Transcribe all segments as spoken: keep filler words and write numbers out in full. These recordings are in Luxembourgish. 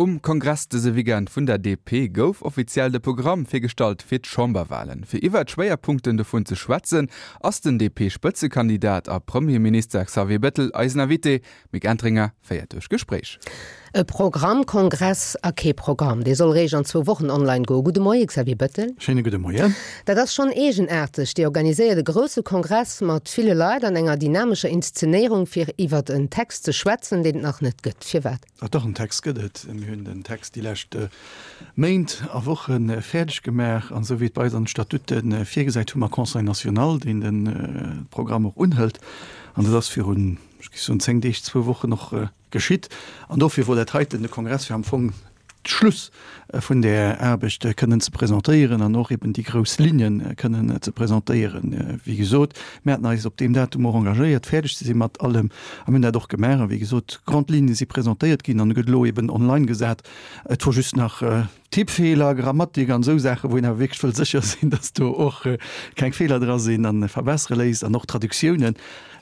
Um Kongress dëse Weekend vun der D P gouf offiziell de Programm virgestallt fir d'Chamberwalen. Fir iwwer d'Schwéierpunkten dovun ze schwätzen, ass den D P-Spëtzekandidat a Premierminister Xavier Bettel eisen Invité. Mick Entringer féiert duerch d'Gespréich. E Programmkongress a kee Programm. Dee soll réischt an zwou Wochen online goen. Gudde Moie Xavier Bettel. Schéine gudde Moien. Dat ass schonn eegenaarteg. Dir organiséiert e grousse Kongress mat ville Leit an enger dynamescher Inszenéierung fir iwwer en Text ze schwätzen, deen et nach net gëtt. Firwat? Ah, dach en Text gëtt et. Mir hunn den Text déi lescht Méint a Woche fäerdeg gemaach an esou wéi et bei eis an de Statute virgesäit, hu mer Conseil national, deen de Programm och unhëlt. An dat ass virun, ech géif soen, zéng Deeg, zwou Wochen och geschitt. An dofir wor dat heiten de Kongress fir am Fong d'Schluss vun där Aarbecht kënnen ze presentéieren an och eben déi grouss Linne kënnen ze presentéieren. Wéi gesot, mir haten eis op deem Datum och engagéiert, fäerdeg ze si mat allem a mir hunn dat och gemaach. A wéi gesot, d'Grandes Lignes si presentéiert ginn an e gëtt elo eben online gesat. Et wor just nach Tippfeeler, Grammatik an esou Saachen, wou een awer wierklech wëll sécher sinn, dass do och keng Feeler dra sinn an verbessere léisst an och Traductiounen.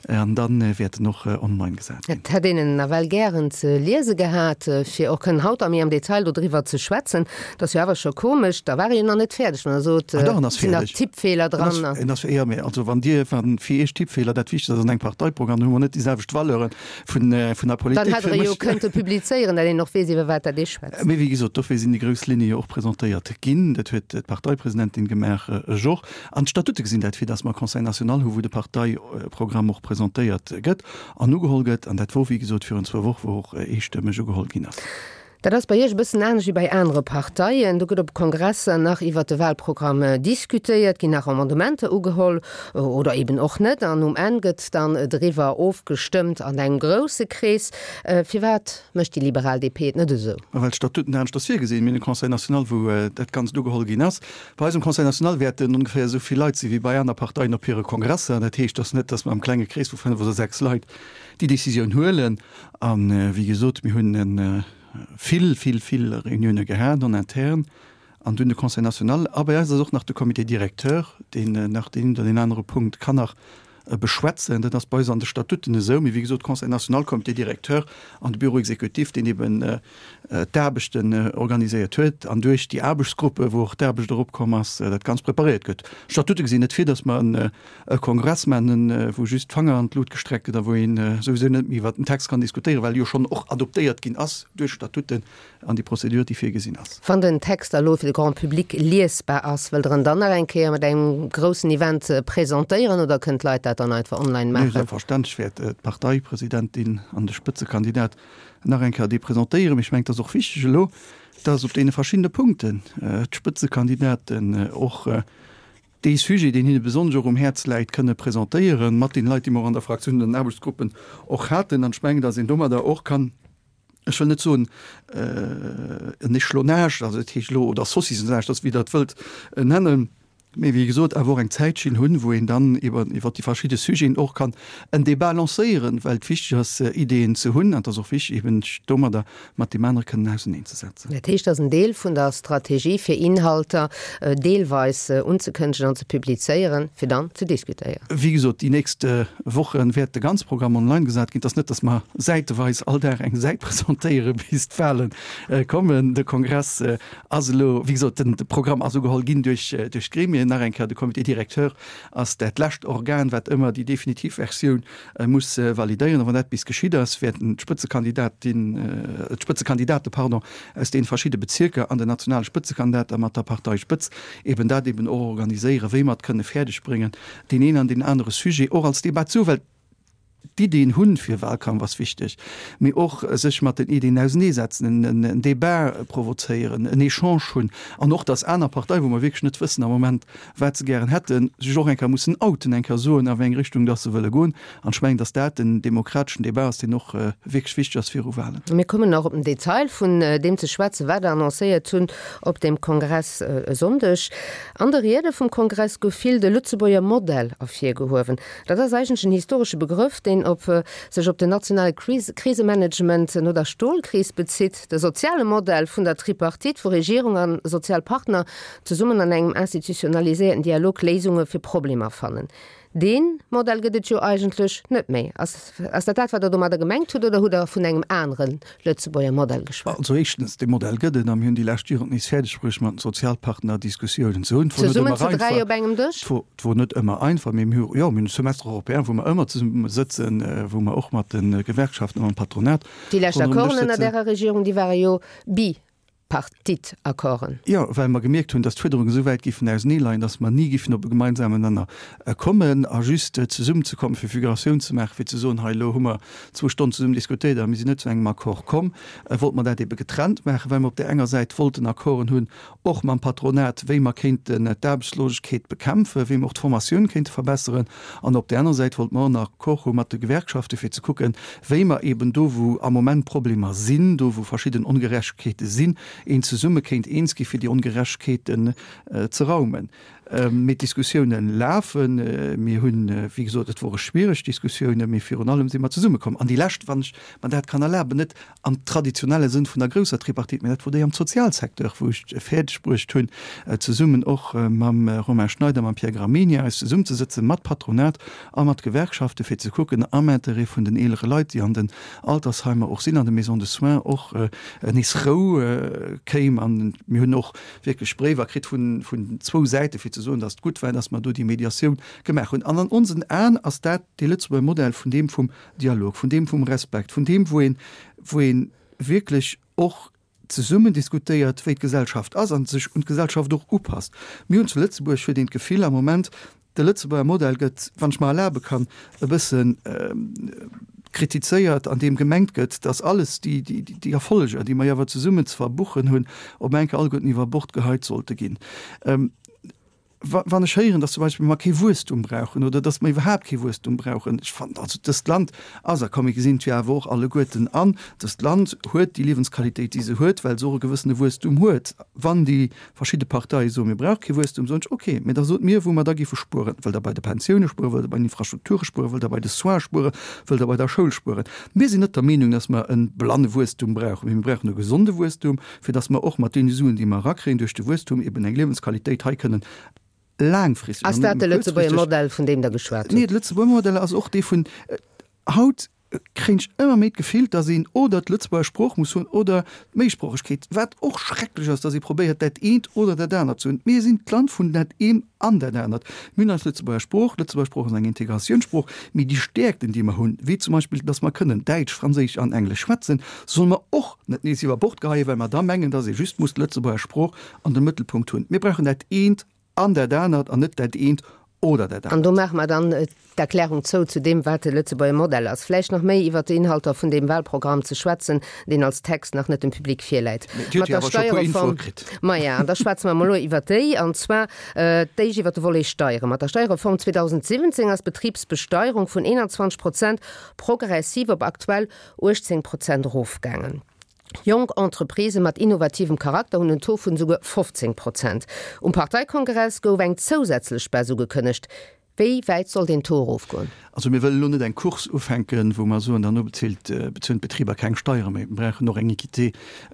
An da wäert en och online gesat ginn. Et hätt een en nawell gären ze liese gehat, fir och kënnen haut a méi am Detail dodriwwer ze schwätzen. Dat ass jo awer scho komesch, da war e jo nach net fäerdeg, wann Der sot, Ah dach, en ass et sinn nach fäerdeg. Tippfeeler En dran. ass, en ass, jo, mä also wann Dir, wann fir Iech Tippfeeler dat Wichtegst ass an engem Parteiprogramm, dann hu mer net déi selwecht Valeuren vun, vun der Dann Politik. hätt Fir Der e jo mech. kënnte publizéieren, dat een och weess, iwwer wat dat ee schwätzt. Mee wéi gesot, dofir sinn déi grouss Linne jo och presentéiert ginn. Dat huet d'Parteipresidentin gemaach, ech och. An d'Statute gesinn dat vir, dass mer e Conseil national hu wou de Parteiprogramm och presentéiert gëtt an ugeholl gëtt. An dat wor, wéi gesot, virun zwou Woche, wou och eestëmmeg ugeholl ginn ass. Dat ass bei Iech e bëssen anescht wéi bei anere Parteien. Do gëtt op Kongresser nach iwwer de Wahlprogramm diskutéiert, ginn nach Amendementer ugeholl oder eben och net. An um Enn gëtt dann driwwer ofgestëmmt an engem grousse Krees. Firwat mécht déi liberal D P et net esou? Well d'Statuten aneschters virgesinn. Mir hunn e Conseil national, wou dat Ganzt ugeholl ginn ass. Bei eis um Conseil national wäerten ongeféier esou vill Leit si wéi bei aner Parteien op hire Kongresser. Dat heescht, dass net, dass mer am klenge Krees vu fënnef oder sechs Leit déi Décisioun huelen. A wéi gesot, mir hunn vill, vill, vill Reunioune gehat en interne an dunn de Conseil national. A bei eis ass och nach de Comité directeur, deen nach deen oder deen anere Punkt kann nach beschwätzen. Dat ass bei eis an de Statuten esou. Mee wéi gesot, Conseil national, Comité directeur an de Bureau exécutif, deen eben d'Aarbechten organiséiert huet an duerch déi Aarbechtsgruppe, wou och d'Aarbecht eropkomm ass, dat Ganzt preparéiert gëtt. D'Statute gesinn net vir, datt mer e Kongress maachen, wou just d'Fanger an d'Lut gestreckt gëtt a wou een souwisou net méi iwwert den Text kann diskutéieren, well e jo schonn och adoptéiert ginn ass duerch d'Statuten an déi Prozedur, déi virgesinn ass. Wann den Text da lo fir de Grand public liesbar ass, wëllt Der en dann nach eng Kéier mat engem groussen Event presentéieren oder kënnen d'Leit dat dann einfach online Nee, maachen? selbstverständlech wäert d'Parteipresidentin an de Spëtzekandidat nach eng Kéier dee presentéieren. Mee ech mengen, et ass och wichteg elo, dass op deene verschiddene Punkten d'Spëtzekandidaten och dee Sujet, deen hinne besonnesch och um Häerz läit, kënne presentéieren, mat deene Leit, déi mer och an der Fraktioun an den Aarbechtsgruppen och haten. An ech mengen, dass een domadder och kann, ech wëll net soen en Échelonnage, also dat heescht elo, oder Saucissonnage, dat ass wéi Der et wëllt nennen, mee wéi gesot awer och eng Zäitschinn hunn, wou een dann iwwer iwwer déi verschidde Sujeten och kann en Débat lancéieren, well et wichteg ass, Ideeën ze hunn an et ass och wichteg, eben sech domadder mat deem anere kënnen auserneenzesetzen. Dat heescht, dat ass en Deel vun der Strategie, fir Inhalter deelweis unzekënnegen an ze publizéieren, fir dann ze diskutéieren. Wéi gesot, déi nächst Woche wäert de ganze Programm online gesat ginn. Et ass net, datt mer säiteweis all Dag eng Säit presentéiere bis d'Wale kommen. De Kongress ass elo, wéi gesot, den Programm ass ugeholl ginn duerch duerch d'Gremien. Nach eng Kéier, de Comité directeur ass dat lescht Organ, wat ëmmer déi definitiv Versioun muss validéieren. A wann dat bis geschitt ass, wäerten d'Spëtzekandidatin, d'Spëtzekandidate, pardon, aus deene verschidde Bezierker an den nationale Spëtzekandidat da mat der Parteispëtz eben dat eben och organiséieren, wéi mer et kënne fäerdeg bréngen, deen een an deen anere Sujet och als Debat zu, well d'Iddien hunn fir Wahlkampf ass wichteg, mee och sech mat den Iddien auseneesetzen, en Débat provozéieren, en Echange hunn an och, dass aner Parteien, wou mer wierklech net wëssen am Moment, wat se gären hätten, sech och eng Kéier mussen outen, eng Kéier soen, a wéi eng Richtung dass se wëlle goen. An ech mengen, dass dat en demokrateschen Débat ass, deen och wierklech wichteg ass viru Wahlen. Mir kommen nach op den Detail vun deem ze schwätzen, wat Der annoncéiert hunn op deem Kongress e Sonndeg. An de Riede vum Kongress gouf vill de Lëtzebuerger Modell ervirgehuewen. Dat ass eigentlech en historesche Begrëff, deen op sech op den nationale Krisemanagement no der Stolkris bezitt, de soziale Modell vun der Tripartite, wou Regierung a sozial Partner zesummen an engem institutionaliséierten Dialog Léisunge fir Problemer fannen. Dee Modell gëtt et jo eigentlech net méi. Ass, ass dat dat, wat Der domadder gemengt hutt, oder hutt Der vun engem anere Lëtzebuerger Modell geschwat? Also éischtens, dee Modell gëtt et, a mir hunn déi lescht Joren et nees fäerdegbruecht, mat den Sozialpartner Diskussiounen ze hunn. Et wor net Zesummen ëmmer zu dräi einfach. op engem Dësch? Et wor, et wor net ëmmer einfach, mee mir hu, jo, mir hunn e Semestre européen, wou mer ëmmer zesumme sëtzen, wou mer och mat de Gewerkschaften a mam Patronat Déi lescht ronderëm den Dësch Accorden ënner sëtzen. därer Regierung, déi ware jo bi. Partite-Accorden. Jo, well mer gemierkt hunn, dass d'Fuerderungen esou wäit géifen auseneeleien, dass mer ni géifen op e gemeinsamen Nenner kommen. A just zesummenzekommen, fir Figuratioun ze maachen, fir ze soen, hei elo hu mer zwou Stonnen zesummen diskutéiert a mir sinn net zu engem Accord komm, wollte mer dat ebe getrennt maachen, well mer op där enger Säit wollten Accorden hunn, och mam Patronat, wéi mer kéinten d'Aarbechtslosegkeet bekämpfen, wéi mer och d'Formatioun kéinte verbesseren. An op där anerer Säit wollte mer och en Accord hu mat de Gewerkschaften, fir ze kucken, wéi mer eben do, wou am Moment Problemer sinn, do wou verschidden Ongerechtegkeete sinn, een zesumme kéint eens gi fir déi Ongerechtegkeeten ze raumen. Mee d'Diskussiounen lafen. Mir hunn, wéi gesot, et wore schwiereg Diskussiounen, mee virun allem si mer zesummekomm. An déi lescht, wann ech mer dat kann erlaben, net am traditionelle Sënn vun der grousser Tripartite, mee dat wor déi am Sozialsecteur, wou ech et fäerdeg bruecht hunn, zesummen och mam Romain Schneider, mam Pierre Gramegna eis zesummzesëtzen, mat Patronat a mat Gewerkschaften, fir ze kucken, am Interêt vun den eelere Leit, déi an den Altersheimer och sinn, an de Maisons de soins, och nees Rou kéim. An mir hunn och wierklech Bréiwer kritt vun zwou Säite fir ze soen, datt et gutt war, datt mer do déi Mediatioun gemaach hunn. An an onsen Aen ass dat dee Lëtzebuerger Modell vun deem vum Dialog, vun deem vum Respekt, vun deem wou een, wou ee wierklech och zesummen diskutéiert, wéi d'Gesellschaft ass a sech un d'Gesellschaft och upasst. Mir hunn zu Lëtzebuerg, huet een d'Gefill am Moment, de Lëtzebuerger Modell gëtt, wann ech mer erlabe kann, e bëssen kritizéiert, an deem gemengt gëtt, datt alles déi, déi Erfolleger, déi mer jo awer zesummen ze verbuchen hunn, op eng Kéier alleguerten iwwer Bord geheit sollte ginn. Wann ech héieren, datt zum Beispill mer kee Wuesstum brauchen oder datt mer iwwerhaapt kee Wuesstum brauchen, ech fannen also, dëst Land ass, a komm mir gesinn et jo awer och alleguerten an, dëst Land huet déi Liewensqualitéit, déi se huet, well se och e gewëssene Wuesstum huet. Wann déi verschidde Parteie soen, mir brauche kee Wuesstum, soen ech, okay, mä da sot mir, wou mer da géife spueren. Wëllt Der bei de Pensioune spueren, wëllt Der bei den Infrastrukture spueren, wëllt Der bei de Soins spueren, wëllt Der bei der Schoul spueren? Mir sinn net der Meenung, datt mer e blanne Wuesstum brauchen, mä mir brauchen e gesonde Wuesstum, fir datt mer och mat deene Suen, déi mer erakréien duerch de Wuesstum, eben eng Liewensqualitéit hei kënnen laangfristeg Ass an net dat de nëmme Lëtzebuerger kuerzfristeg. Modell, vun deem Der geschwat Nee, hutt? de Lëtzebuerger Modell ass och dee vun haut. Kréien ech ëmmer méi d'Gefill, dass een oder d'Lëtzebuerger Sprooch muss hunn oder d'Méisproochegkeet, wat och schrecklech ass, dass ee probéiert, dat eent oder dat anert ze hunn. Mir sinn d'Land vun dat eent an dat anert. Mir hunn eis Lëtzebuerger Sprooch, d'Lëtzebuerger Sprooch ass eng Integratiounssprooch, mee déi Stäerkten, déi mer hunn, wéi zum Beispill, dass mer kënnen Däitsch, Franséisch an Englesch schwätzen, solle mer och net nees iwwer Bord geheien, well mer da mengen, dass ee just muss d'Lëtzebuerger Sprooch an de Mëttelpunkt hunn. Mir brauchen dat eent an dat anert an net dat eent oder dat An do anert. maache mer dann d'Erklärung zou zu deem, wat de Lëtzebuerger Modell ass. Vläicht nach méi iwwert d'Inhalter vun deem Wahlprogramm ze schwätzen, deen als Text nach net dem Public virläit. Mee Dir hutt Mat jo der awer scho e puer Infoe Steierreform, kritt. maja, an da schwätze mer emol elo iwwert déi, an zwar d'éischt iwwert de Volet Steieren. Mat der Steierreform zweedausendsiwwenzéng ass d'Betribsbesteierung vun eenanzwanzeg Prozent progressiv op aktuell uechtzéng Prozent erofgaangen. Jonk Entreprisë mat innovativem Charakter hunn en Taux vun esouguer fofzéng Prozent. Um Parteikongress gouf eng zousätzlech Baisse ugekënnegt. Wéi wäit soll deen Taux erofgoen? Also mir wëllen elo net eng Course ufänken, wou mer soen, dann bezilt, bezuelen d'Betriber keng Steiere méi. Mir brauchen och eng Équité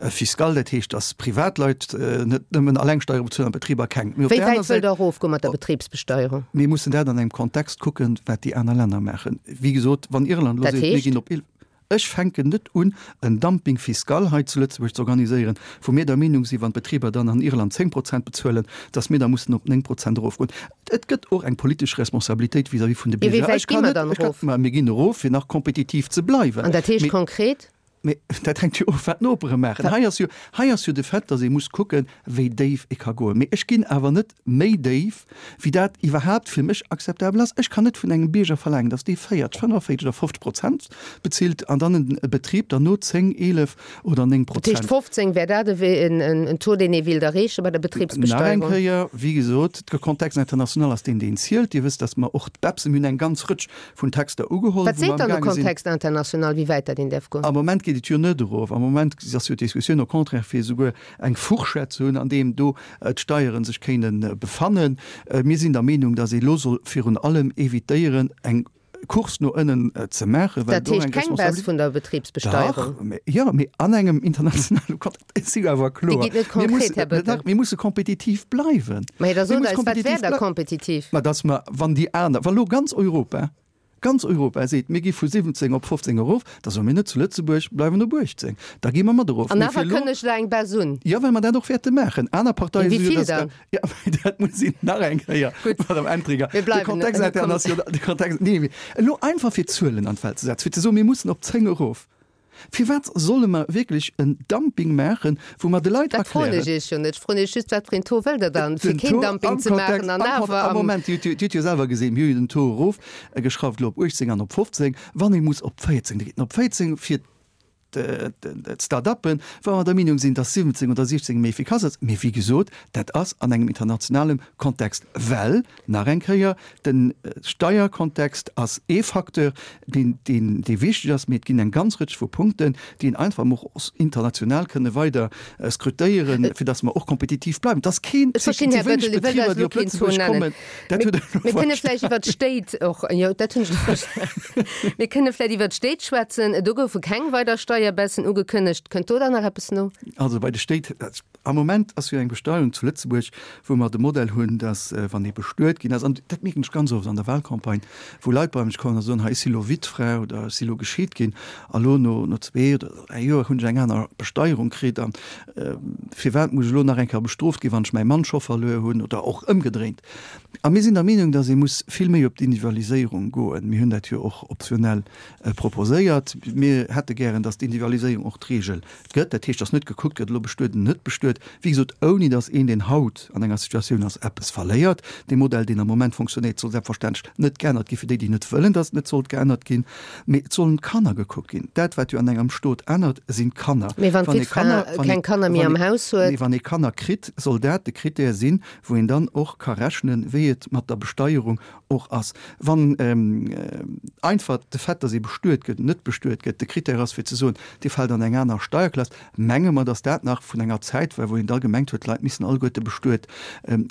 fiscale, dat heescht, dass Privatleit net nëmmen alleng Steiere bezuelen an d'Betriber keng. Mee op Wéi där aner wäit wëllt Säit, Der erofgoen mat der Betribsbesteierung? Mir mussen dat an engem Kontext kucken, wat déi aner Länner maachen. Wéi gesot, wann Irland elo Dat seet, mir heescht? ginn op eelef, Ech fänken net un, en Dumping fiscal hei zu Lëtzebuerg ze organiséieren, wou mir der Meenung sinn, wann d'Betriber dann an Irland zéng Prozent bezuelen, dass mir da mussen op néng Prozent erofgoen. Et gëtt och eng politesch Responsabilitéit vis-à-vis vun de Wéi Bierger. wäit Ech gi kann mer net, dann ech kann, erof? ma mir ginn erof, fir nach kompetitiv ze bleiwen. An dat heescht Mee, konkret? mee dat hänkt jo of, wat d'Nopere maachen. Hei ass jo, hei ass jo de Fait, dass ee muss kucken, wéi déif ee ka goen. Mee ech ginn awer net méi déif, wéi dat iwwerhaapt fir mech akzeptabel ass. Ech kann net vun engem Bierger verlaangen, dass dee véierteg, fënnefenvéierteg oder fofzeg Prozent bezilt an dann en Betrib derno zéng, eelef oder néng Dat heescht Prozent. fofzéng wär dat en Taux, deen ee wéilt erreeche bei der Nach eng Betribsbesteierung? Kéier, wéi gesot, de Kontext international ass deen, deen zielt. Dir wësst, dass mer och d'BEPS, mir hunn eng ganz Rëtsch vun Texter ugeholl, Wat wou mer seet dann de amgaange sinn. Kontext international, wéi wäit dat een däerf goen? Am Moment geet et jo net erof. Am Moment ass jo d'Diskussioun au contraire, fir esouguer eng Fourchette ze hunn, an deem do d'Steiere sech kéinten befannen. Mir sinn der Meenung, dass ee elo soll virun allem évitéieren, eng Kurs no ënnen ze maachen, well Dat do heescht eng keng Baisse Responsabilitéit. vun der Betribsbesteierung? Dach, mee, jo, mee an engem internationale Kontext, et si jo awer Dir kloer, gitt net mir konkret, mussen, Här Bettel. dach, mir musse kompetitiv bleiwen. Mä da Mir sot musse eis, wat wär kompetitiv da blei- kompetitiv? Ma dass mer, wann déi aner, wa lo ganz Europa, ganz Europa seet, mir gi vu siwwenzéng op fofzéng erof, da soe mir net zu Lëtzebuerg, bleiwen op uechtzéng. Da gi mer mat erof. An Mee awer fir elo. kënnegt Der eng Baisse un? Jo, well mer dat och wäerte maachen. Aner Parteie Mee wéi soe jo, vill dass dann? Ja, mee dat muss een nach eng Kéier, Gutt. Madame Entringer, Mir de bleiwen, Kontext mir kommen. international, de Kontext, nee, mee elo einfach fir Zuelen an d'Welt ze setzen, fir ze soen, mir mussen op zéng erof. Firwat solle mer wierklech en Dumping maachen, wou mer de Leit Dat froen erklären. ech Iech jo net. Ech froen Iech just, wat fir een Taux wëllt Der dann, fir Den keen Taux Dumping am ze maachen Kontext, an am Kontext, awer am am. Moment, Dir hutt jo selwer gesinn, mir hu jo den Taux erofgeschrauft elo op uechtzéng an op fofzéng. Wann ee muss op véierzéng, da geet en op véierzéng fir d'Start-uppen, wa mer der Meenung sinn, dass siwwenzéng oder siechzéng méi efficace ass. Mee wéi gesot, dat ass an engem internationalem Kontext, well, nach eng Kéier, de Steierkontext ass ee Facteur, deen, deen, dee wichteg ass, mee et ginn eng ganz Rëtsch vu Punkten, déi een einfach och international kënne weider skrutéieren, fir dass mer och kompetitiv bleiwen. Et ass keen, Ech verstinn, et si Här wéineg Bettel, Dir wëllt Betriber, eis déi elo op keen Taux Lëtzebuerg nennen. kommen. Dat Mir hutt Der elo mir kënne verstanen. vläicht iwwer d'Stéit och, jo, dat hunn ech elo verstanen. Mir kënne vläicht iwwer d'Stéit schwätzen. Do goufe keng weider Steierbaissen ugekënnegt. Kënnt do dann nach eppes no? Also bei de Stéit, am Moment ass jo eng Besteierung zu Lëtzebuerg, wou mer de Modell hunn, dass wann ee bestuet ginn ass, an dat mierken ech ganz oft an der Wahlcampagne, wou Leit bei mech kommen a soen, hei ech si lo Wittfra oder ech si lo gescheet ginn a lo no no zwee oder dräi Joer hunn ech eng aner Besteierung kritt an firwat muss ech elo nach eng Kéier bestrooft ginn, wann ech mäi Mann scho verluer hunn oder och ëmgedréint. A mir sinn der Meenung, dass ee muss vill méi op d'Individualiséierung goen. Mir hunn dat jo och optionell proposéiert. Mir hätte gären, dass d'Individualiséierung och d'Regel gëtt. Dat heescht, dass net gekuckt gëtt, elo bestuet, net bestuet, wéi gesot, ouni dass een, deen haut an enger Situatioun ass, eppes verléiert. Dee Modell, deen am Moment funktionéiert, soll selbstverständlech net geännert gi fir déi, déi net wëllen, dass et net sollt geännert ginn. Mee et sollen d'Kanner gekuckt ginn. Dat, wat jo an engem Stot ännert, sinn d'Kanner. Mee wann Wann ee d'Wittfra Kanner, wann keng ee, Kanner méi wann am ee, Haus huet. nee, wann ee Kanner kritt, soll dat de Krittär sinn, wou een dann och ka rechnen, wéi et mat der Besteierung och ass. Wann einfach de Fait, dass ee bestuet gëtt, net bestuet gëtt, de Krittär ass fir ze soen, Dir fält an eng aner Steierklass, menge mer, dass dat nach vun enger Zäit war, wou een da gemengt huet, d'Leit missten alleguerte bestuet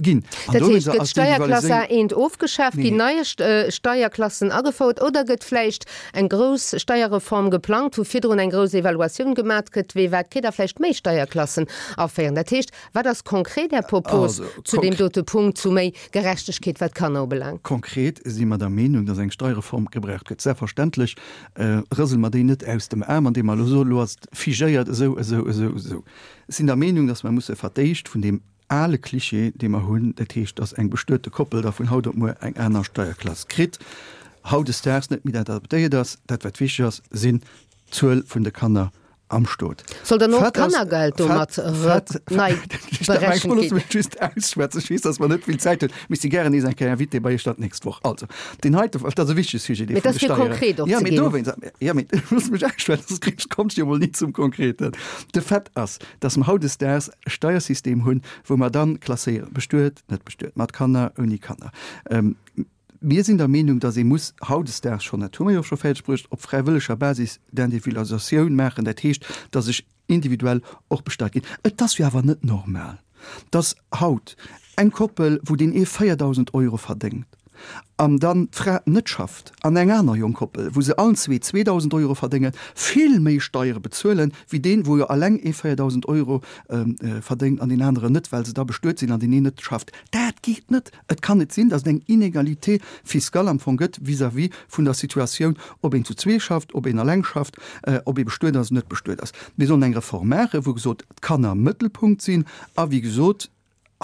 ginn. An Dat heescht, dowéinster gëtt ass d'Steierklass d'Individualiséierung. A eent ofgeschaaft, ginn Nee. neie Steierklassen agefouert oder gëtt vläicht eng grouss Steierreform geplangt, wou virdrun eng grouss Evaluatioun gemat gëtt, wee wat kritt a vläicht méi Steierklassen aféieren? Dat heescht, wat ass konkret Är Propos Also, zu deem konkr. dote Punkt, zu méi Gerechtegkeet, wat d'Kanner ubelaangt? Konkret si mer der Meenung, dass eng Steierreform gebraucht gëtt. Selbstverständlech rësele mer déi net aus dem Aarm, andeem mer elo soen, elo ass et figéiert esou, esou, esou, esou. Ech sinn der Meenung, dass mer musse verdéischt vun deem ale Klischee, dee mer hunn, dat heescht, dass eng bestuete Koppel da vun haut op muer eng aner Steierklass kritt, hautdesdaags net méi dat adaptéiert ass. Dat, wat wichteg ass, sinn d'Zuel vun de Kanner am Stot. Soll dann och Fait ass, d'Kannergeld fait, domat fait, nei ech dat meng, berechent looss ginn? mech just ausschwätzen, ech weess, dass mer net vill Zäit hunn, mee ech si gären nees eng Kéier Invité bei Iech dann d'nächst Woch. Also, deen heite, dat ass e wichtege Sujet, dee Mee vun dat de ass fir Steieren. konkret och Ja, ze mee ginn. dowéinst, ja, mee looss mech ausschwätzen, soss kritt, kommst jo mol ni zum Konkreten. De Fait ass, dass mer hautdesdaags e Steiersystem hunn, wou mer dann klasséieren, bestuet, net bestuet, mat Kanner, ouni Kanner. Mir sinn der Meenung, dass ee muss hautdesdaags schonn, dat hu mer jo scho fäerdeg bruecht, op fräiwëlleger Basis d'Individualisatioun maachen, dat heescht, dass ech individuell och besteiert ginn. Et ass jo awer net normal, dass haut eng Koppel, wou deen ee véierdausend Euro verdéngt an dann d'Fra net schafft, an eng aner jonk Koppel, wou se allen zwee zweedausend Euro verdéngen, vill méi Steiere bezuelen, wéi deen, wou jo alleng ee véierdausend Euro verdéngt an deen aneren net, well se da bestuet sinn an deen een net schafft. Dat geet net! Et kann net sinn, datt et eng Inégalité fiscale am Fong gëtt vis-à-vis vun der Situatioun, ob een zu zwee schafft, ob een alleng schafft, ob ee bestuet ass oder net bestuet ass. Mir sollen eng Reform maachen, wou gesot d'Kanner Mëttelpunkt sinn a wéi gesot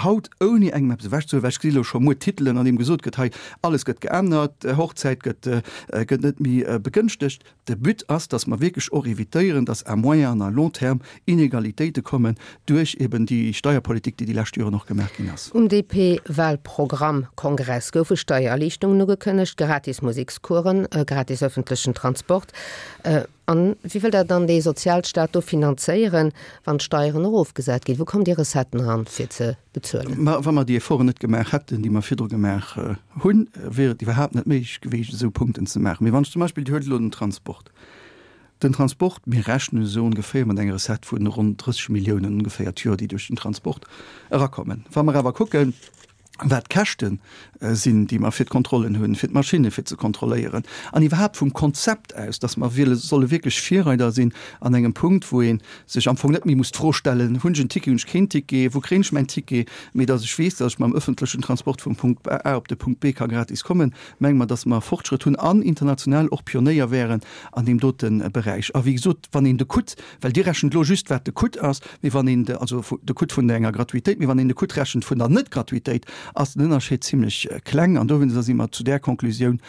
haut, ouni engem eppes ewechzehuelen, well ech gesi lo scho muer Titelen, an deem gesot gëtt, hei alles gëtt geännert, Hochzäit gëtt gëtt net méi begënschtegt. De But ass, datt mer wierklech och evitéieren, datt à moyen an à long terme Inegalitéite kommen duerch eben déi Steierpolitik, déi déi lescht Joren och gemaach ginn ass. Um D P-Wahlprogrammkongress goufe Steiererliichterungen ugekënnegt, gratis Musekscoursen, gratis ëffentlechen Transport. An wéi wëllt Der dann dee Sozialstaat do finanzéieren, wann d'Steieren erofgesat ginn? Wou kommen déi Recetten eran, fir ze bezuelen? Ma wa mer déi Efforten net gemaach hätten, déi mer virdru gemaach hunn, wier et iwwerhaapt net méiglech gewiescht, esou Punkten ze maachen. Mee wann ech zum Beispill, Dir huelt elo den Transport. Den Transport, mir rechnen esou ongeféier mat enger Recette vun ronn drësseg Milliounen ongeféier d'Joer, déi duerch den Transport erakommen. Wa mer awer kucken, wat d'Käschte sinn, déi mer fir d'Kontrollen hunn, fir d'Maschinne fir ze kontrolléieren, an iwwerhaapt vum Konzept aus, dass mer solle wierklech Virreider sinn an engem Punkt, wou ee sech am Fong net méi muss d'Fro stellen, Hunn ech en Ticket, hunn ech keen Ticket, wou kréien ech mäin Ticket, mee dass ech weess, dass ech mam öffentlechen Transport vum Punkt A op de Punkt B ka gratis kommen, menge mer, dass mer Fortschrëtt hunn an international och Pionéier wären an deem dote Beräich. A wéi gesot, wann een de Coût, well Dir rechent elo just, wat de Coût ass, mee wann een de, also de Coût vun enger Gratuitéit, mee wann een de Coût rechent vun der Net-Gratuitéit, ass den Ënnerscheed zimlech kleng an dowéinster si mer zu där Konklusioun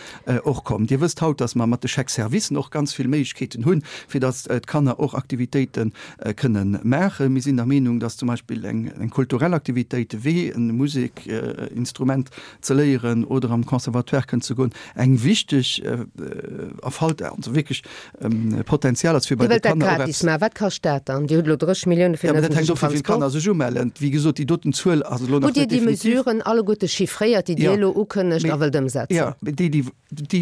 och komm. Dir wësst haut, dass mer mat de Chèques-servicen och ganz vill Méiglechkeeten hunn, fir dass d'Kanner och Aktivitéite kënnen maachen. Mir sinn der Meenung, dass zum Beispill eng kulturell Aktivitéit wéi e Musekinstrument ze léieren oder am Conservatoire kënnen ze goen, eng wichteg Erfalt, also wierklech Potenzial ass, fir bei de Kanner och eppes. Dir wëllt dat gratis maachen. Wat kascht dat dann? Dir hutt elo drësseg Millioune fir den ëffentlechen Transport. Dat hänkt of, wéi vill Kanner sech umellen. Wéi gesot, déi doten Zuel ass elo nach net definitiv. Hutt Dir déi Mesuren alleguerte chiffréiert, déi Dir elo ukënnegt a wëllt ëmsetzen? Jo, déi, déi,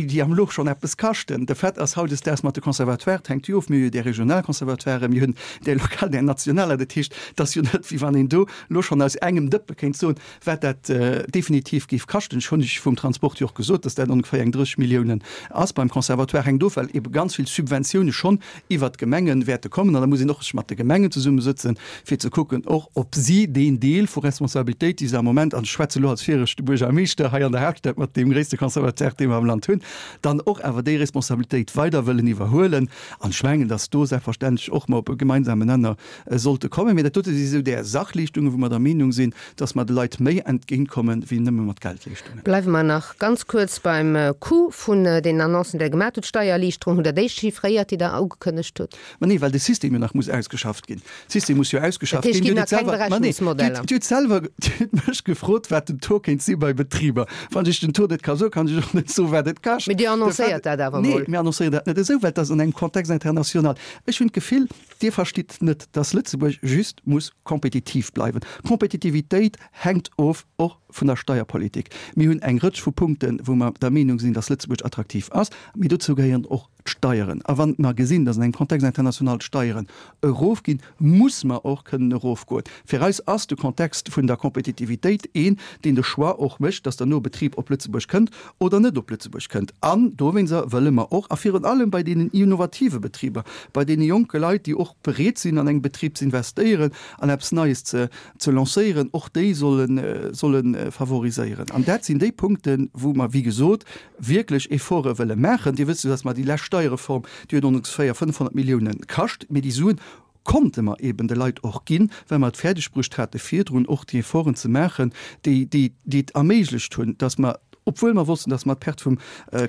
déi am elo schonn eppes kaschten. De Fait ass hautdesdaags mat de Conservatoires, et hänkt jo of, mir hu jo där regional Conservatoiren, mir hunn där lokal, där nationaler. Dat heescht, et ass jo net, wéi wann een do elo schonn aus engem Dëppe kéint soen, wat dat definitiv géif kaschten. Ech hunn lech vum Transport jo och gesot, dass dat ongeféier eng drësseg Milliounen ass. Beim Conservatoire hänkt of, well ebe ganz vill Subventioune schonn iwwert d'Gemenge wäerte kommen. An da muss een och sech mat de Gemengen zesummesëtzen, fir ze kucken och, ob si deen Deel vu Responsabilitéit, déi se am Moment, an ech schwätze elo als viregte Buergermeeschter hei an der Haaptstad mat deem gréisste Conservatoire, dee mer am Land hunn, dann och awer déi Responsabilitéit weider wëllen iwwerhuelen. An ech mengen, dass do selbstverständlech och mer op e gemeinsamen Nenner sollte kommen. Mee dat dote si sou där Sachleeschtungen, wou mer der Meenung sinn, dass mer de Leit méi entgéintkommen, wéi nëmme mat Geldleeschtungen. Bleiwe mer nach ganz kuerz beim Coût vun deenen Annoncen, déi Der gemaat hutt. D'Steiererliichterung, hutt Der déi chiffréiert, déi Der ugekënnegt hutt? Ma nee, well de System jo nach muss ausgeschafft ginn. De System muss jo ausgeschafft ginn. Dat heescht, et ginn nach keng Berechnungsmodeller? Dir hutt selwer, Dir hutt mech gefrot, wat den Taux kéint si bei Betriber. Wann ech den Taux net ka soen, kann ech och net soen, wat et kascht. Mee Dir annoncéiert dat awer mol. Nee, mir annoncéieren dat net esou, well et ass an engem Kontext international. Ech hunn d'Gefill, Dir verstitt net, dass Lëtzebuerg just muss kompetitiv bleiwen. Kompetitivitéit hänkt of och vun der Steierpolitik. Mir hunn eng Rëtsch vu Punkten, wou mer der Meenung sinn, dass Lëtzebuerg attraktiv ass, mee dozou gehéieren och d'Steieren. A wann mer gesinn, dass an engem Kontext international d'Steieren erofginn, muss mer och kënnen erofgoen. Fir eis ass de Kontext vun der Kompetitivitéit een, deen de Choix och mécht, dass derno e Betrib op Lëtzebuerg kënnt oder net op Lëtzebuerg kënnt. An dowéinster wëlle mer och, a virun allem bei deenen innovative Betriber, bei deene jonke Leit, déi och bereet sinn, an engem Betrib ze investéieren an eppes Neies ze ze lancéieren, och déi solle solle favoriséieren. An dat sinn déi Punkten, wou mer, wéi gesot, wierklech Efforte wëlle maachen. Dir wësst jo, dass mer déi lescht Steierreform, déi huet ongeféier fënnfhonnert Milliounen kascht, mee déi Suen konnte mer eben de Leit och ginn, well mer et fäerdegbruecht hate virdrun och déi Efforten ze maachen, déi déi déi et erméiglecht hunn, dass mer, obwuel mer wossten, dass mer d'Perte vum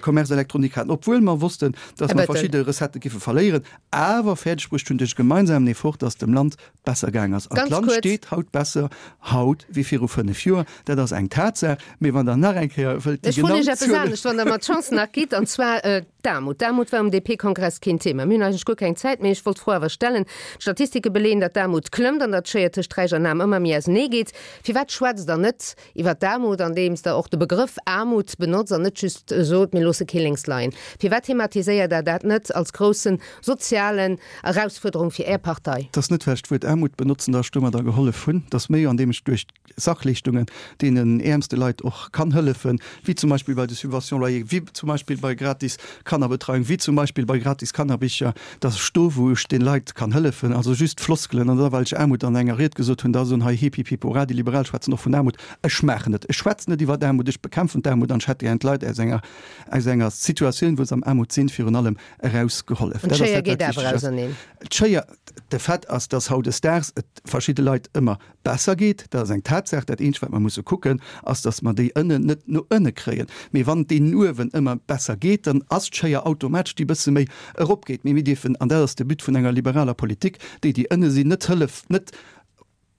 Commerce électronique haten, obwuel mer wossten, dass mer verschidde Recettë giffe verléieren, awer fäerdegbruecht hunn duerch e gemeinsamen Effort, dass dem Land besser gaang ass. An d'Land steet haut besser haut wéi viru fënnef Joer. Dat ass eng Tatsaach. Mee wann Der nach eng Kéier wëllt déi genau Zuelen. Ech froen Iech eppes anescht, wann Der mer d'Chance nach gitt, an zwar d'Aarmut. D'Aarmut war um D P-Kongress keen Thema. Mir hunn eigentlech guer keng Zäit méi. Ech wollt d'Fro awer stellen. D'Statistike beleeën, datt d'Aarmut klëmmt an datt d'Schéier tëscht Räich an Aarm ëmmer méi ausenee geet. Firwat schwätzt Der net iwwer d'Aarmut, andeems Der och de Begrëff Aarmut benotzt an net just sot, mir loosse kee lénks leien? Firwat thematiséiert Der dat net als groussen sozialen Erausfuerderung fir Är Partei? Et ass net, well ech d'Wuert Aarmut benotzen, datt ech domadder gehollef hunn. Et ass méi, andeem ech duerch Sachleeschtungen deenen äermste Leit och kann hëllefen, wéi zum Beispill bei de Subventions loyer, wéi zum Beispill bei gratis Kannerbetreiung, wéi zum Beispill bei gratis Kannerbicher, datt ech do, wou ech de Leit kann hëllefen, also just Floskelen, an da well ech Aarmut an enger Ried gesot hunn, da soen hei hip hip hip hurra, déi Liberal schwätzen och vun Aarmut. Ech maachen et. Ech schwätzen net iwwer Aarmut, ech bekämpfen d'Aarmut an ech hätt gären d'Leit aus enger, aus enger Situatioun, wou se am Aarmut sinn, virun allem erausgehollef. An d'Schéier geet awer auserneen. D'Schéier, de Fait ass, dass hautdesdaags et verschidde Leit ëmmer besser geet, dat ass eng Tatsaach. Dat eenzegt, wat mer musse kucken, ass, dass mer déi ënnen net no ënne kréien. Mee wann et deenen uewen ëmmer besser geet, dann ass d'Schéier automatesch, déi bësse méi eropgeet. Mee mir dierfen, an dat ass de But vun enger liberaler Politik, déi, déi ënne sinn, net hëllef, net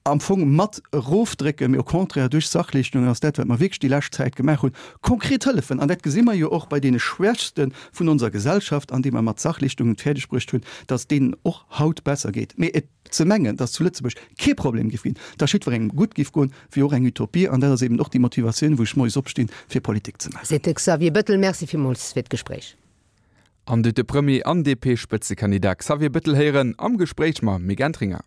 am Fong mat erofdrécken, mee au contraire duerch Sachleeschtungen, ass dat, wat mer wierklech déi lescht Zäit gemaach hunn, konkret hëllefen. An dat gesi mer jo och bei deene Schwächste vun onser Gesellschaft, andeem mer mat Sachleeschtungen et fäerdeg bruecht hunn, dass et deenen och haut besser geet. Mee et ze mengen, dass zu Lëtzebuerg kee Problem giff ginn, dass jiddwerengem gutt giff goen, wier och eng Utopie. An dat ass eben och déi Motivatioun, wou ech moies opstinn, fir Politik ze maachen. Seet de Xavier Bettel. Merci villmools fir d'Gespréich. An de de Premier an D P-Spëtzekandidat Xavier Bettel héieren am Gespréich mam Mick Entringer.